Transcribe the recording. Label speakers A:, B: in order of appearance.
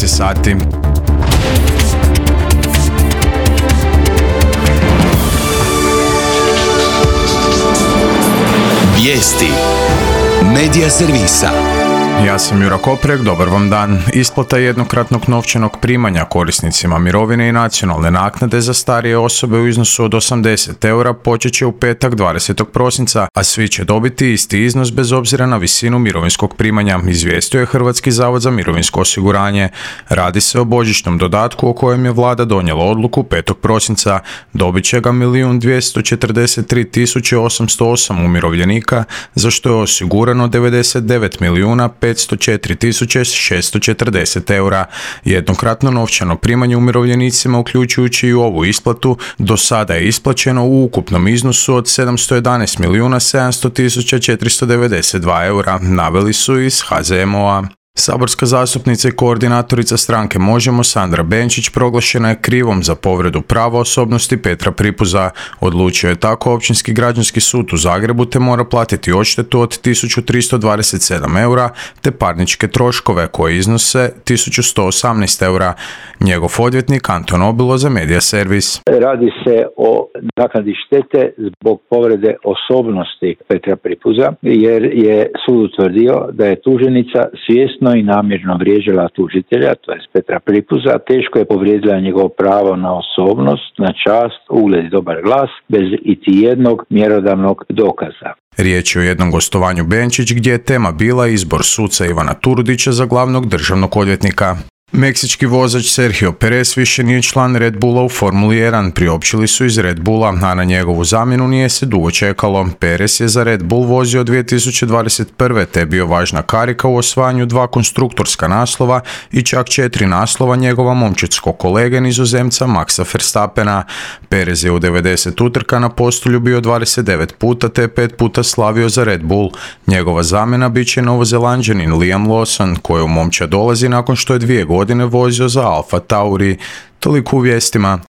A: 12 sati.
B: Vijesti Medija servisa.
A: Ja sam Jura Koprek, dobar vam dan. Isplata jednokratnog novčanog primanja korisnicima mirovine i nacionalne naknade za starije osobe u iznosu od 80 eura počet će u petak 20. prosinca, a svi će dobiti isti iznos bez obzira na visinu mirovinskog primanja, izvijestio je Hrvatski zavod za mirovinsko osiguranje. Radi se o božićnom dodatku o kojem je vlada donijela odluku 5. prosinca. Dobit će ga 1.243.808 umirovljenika, za što je osigurano 99.504.640 eura. Jednokratno novčano primanje umirovljenicima, uključujući i ovu isplatu, do sada je isplaćeno u ukupnom iznosu od 711.700.492 eura, naveli su iz HZMO-a. Saborska zastupnica i koordinatorica stranke Možemo Sandra Benčić proglašena je krivom za povredu prava osobnosti Petra Pripuza. Odlučio je tako Općinski građanski sud u Zagrebu, te mora platiti odštetu od 1.327 eura te parničke troškove koji iznose 1.118 eura. Njegov odvjetnik Anton Obilo za Medija servis.
C: Radi se o naknadi štete zbog povrede osobnosti Petra Pripuza, jer je sud utvrdio da je tuženika svjesno i namjerno vrijeđala tužitelja, to jest Petra Pripuza, teško je povrijedila njegovo pravo na osobnost, na čast, ugled i dobar glas, bez iti jednog mjerodavnog dokaza.
A: Riječ je o jednom gostovanju Benčić gdje je tema bila izbor suca Ivana Turudića za glavnog državnog odvjetnika. Meksički vozač Sergio Perez više nije član Red Bulla u Formuli 1, priopćili su iz Red Bulla, a na njegovu zamjenu nije se dugo čekalo. Perez je za Red Bull vozio 2021. te je bio važna karika u osvajanju 2 konstruktorska naslova i čak 4 naslova njegova momčadskog kolege Nizozemca Maxa Verstappena. Perez je u 90 utrka na postolju bio 29 puta te 5 puta slavio za Red Bull. Njegova zamjena bit će Novozelanđanin Liam Lawson, koji u momčad dolazi nakon što je 2 godine vozio za Alfa Tauri. Toliko u vijestima.